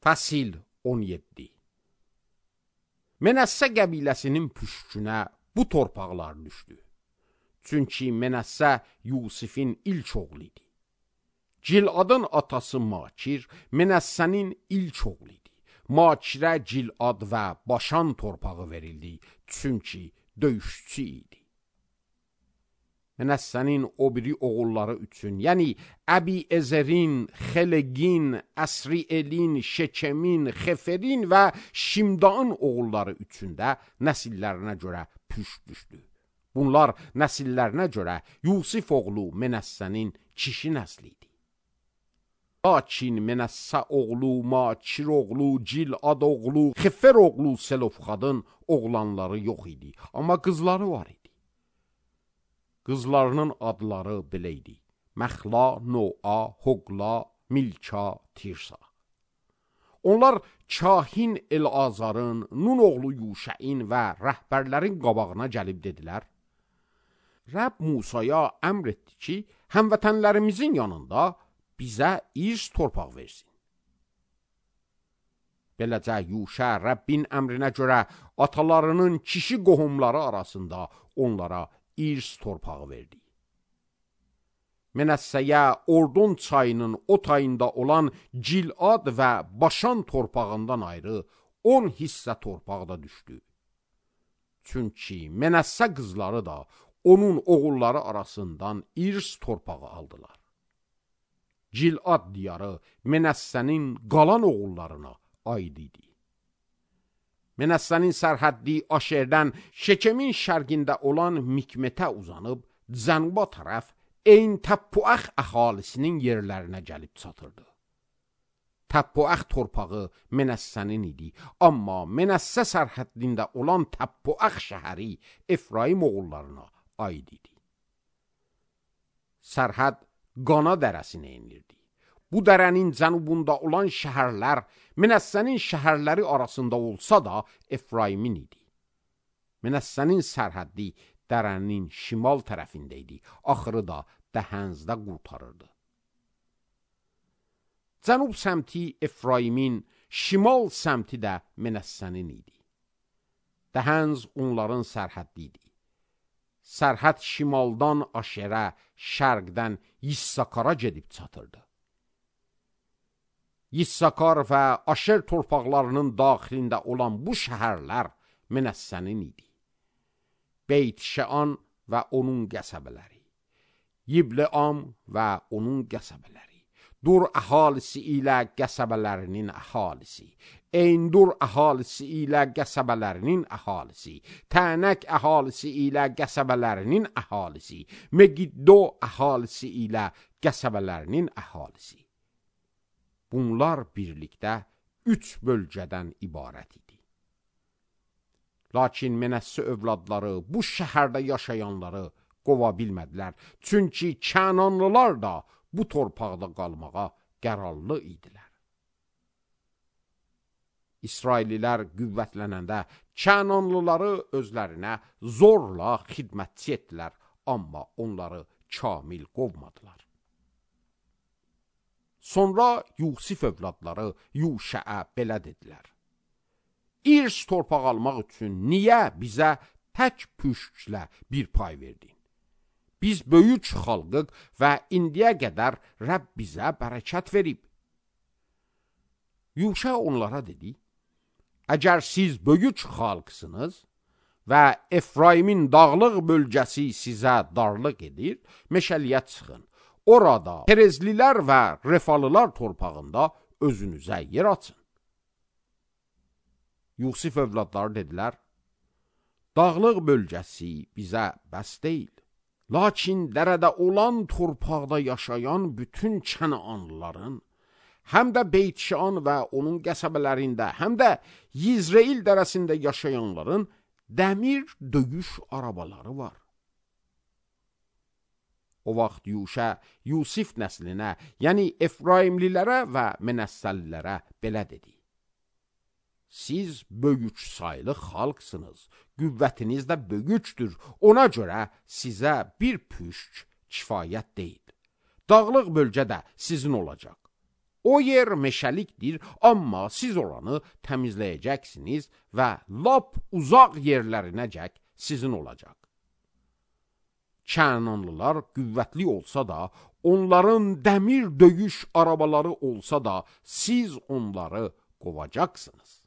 Fəsil 17. Mənəssə qəbiləsinin püşkünə bu torpaqlar düşdü. Çünki Mənəssə Yusifin ilk oğlu idi. Ciladın atası Makir Mənəssənin ilk oğlu idi. Makirə Cilad və Başan torpağı verildi. Çünki döyüşçü idi. Mənəssənin o biri oğulları üçün, yəni Əbi-Ezərin, Xelegin, Əsrielin, Şekemin, Xeferin və Şimdaın oğulları üçün də nəsillərinə görə püşk düşdü. Bunlar nəsillərinə görə Yusif oğlu Mənəssənin kişi nəsli idi. Lakin Mənəssə oğlu, Makir oğlu, Cilad oğlu, Xefer oğlu Selofxadın oğlanları yox idi, amma qızları var idi. Qızlarının adları belə idi: Məxla, Noa, Hoqla, Milka, Tirsa. Onlar kahin El-Azarın, Nun oğlu Yuşəin və rəhbərlərin qabağına gəlib dedilər: Rəbb Musaya əmr etdi ki, həmvətənlərimizin yanında bizə irs torpaq versin. Beləcə Yuşə Rəbbin əmrinə görə atalarının kişi qohumları arasında onlara irs torpağı verdi. Mənəssəyə Ordon çayının o tayında olan Cilad və Başan torpağından ayrı 10 hissə torpaq da düşdü. Çünki Mənəssə qızları da onun oğulları arasından irs torpağı aldılar. Cilad diyarı Mənəssənin qalan oğullarına aid idi. Mənəssənin sərhəddi Aşerdən Şekemin şərqində olan Mikmetə uzanıb, cənuba tərəf Eyn Təppuəx əhalisinin yerlərinə gəlib çatırdı. Təppuəx torpağı Mənəssənin idi, amma Mənəssə sərhəddində olan Təppuəx şəhəri Efraim oğullarına aid idi. Sərhəd Qana dərəsinə enirdi. Bu dərənin cənubunda olan şəhərlər Mənəssənin şəhərləri arasında olsa da Efraimin idi. Mənəssənin sərhəddi dərənin şimal tərəfində idi, axırı da Dəhənzdə qurtarırdı. Cənub səmti Efraimin, şimal səmti də Mənəssənin idi. Dəhənz onların sərhəddi idi. Sərhəd şimaldan Aşerə, şərqdən Yissakara gedib çatırdı. Yissakar və Aşer torpaqlarının daxilində olan bu şəhərlər Mənəssənin idi. Beyt-Şəan və onun qəsəbələri, Yibleam və onun qəsəbələri, Dur əhalisi ilə qəsəbələrinin əhalisi, Eyndur əhalisi ilə qəsəbələrinin əhalisi, Tənək əhalisi ilə qəsəbələrinin əhalisi, Megiddo əhalisi ilə qəsəbələrinin əhalisi. Bunlar birlikdə 3 bölgədən ibarət idi. Lakin Mənəssə övladları bu şəhərdə yaşayanları qova bilmədilər. Çünki Kənanlılar da bu torpaqda qalmağa qərarlı idilər. İsraillilər qüvvətlənəndə Kənanlıları özlərinə zorla xidmətçi etdilər, amma onları kamil qovmadılar. Sonra Yusif övladları Yuşəə belə dedilər: İrs torpaq almaq üçün niyə bizə tək püşklə bir pay verdin? Biz böyük xalqıq və indiyə qədər Rəbb bizə bərəkət verib. Yuşə onlara dedi: Əgər siz böyük xalqsınız və Efraimin dağlıq bölgəsi sizə darlıq edir, meşəliyə çıxın. Orada Perezlilər və Refalılar torpağında özünüzə yer açın. Yusif övladları dedilər: Dağlıq bölgəsi bizə bəs deyil. Lakin dərədə olan torpaqda yaşayan bütün Kənaanlıların, həm də Beyt-Şəan və onun qəsəbələrində, həm də Yizreil dərəsində yaşayanların dəmir döyüş arabaları var. O vaxt Yuşə Yusif nəslinə, yəni Efraimlilərə və Mənəssəlilərə belə dedi: Siz böyük saylı xalqsınız, qüvvətiniz də böyükdür, ona görə sizə bir püşk kifayət deyil. Dağlıq bölgə də sizin olacaq. O yer meşəlikdir, amma siz oranı təmizləyəcəksiniz və lap uzaq yerlərinəcək sizin olacaq. Kənanlılar qüvvətli olsa da, onların dəmir döyüş arabaları olsa da, siz onları qovacaqsınız.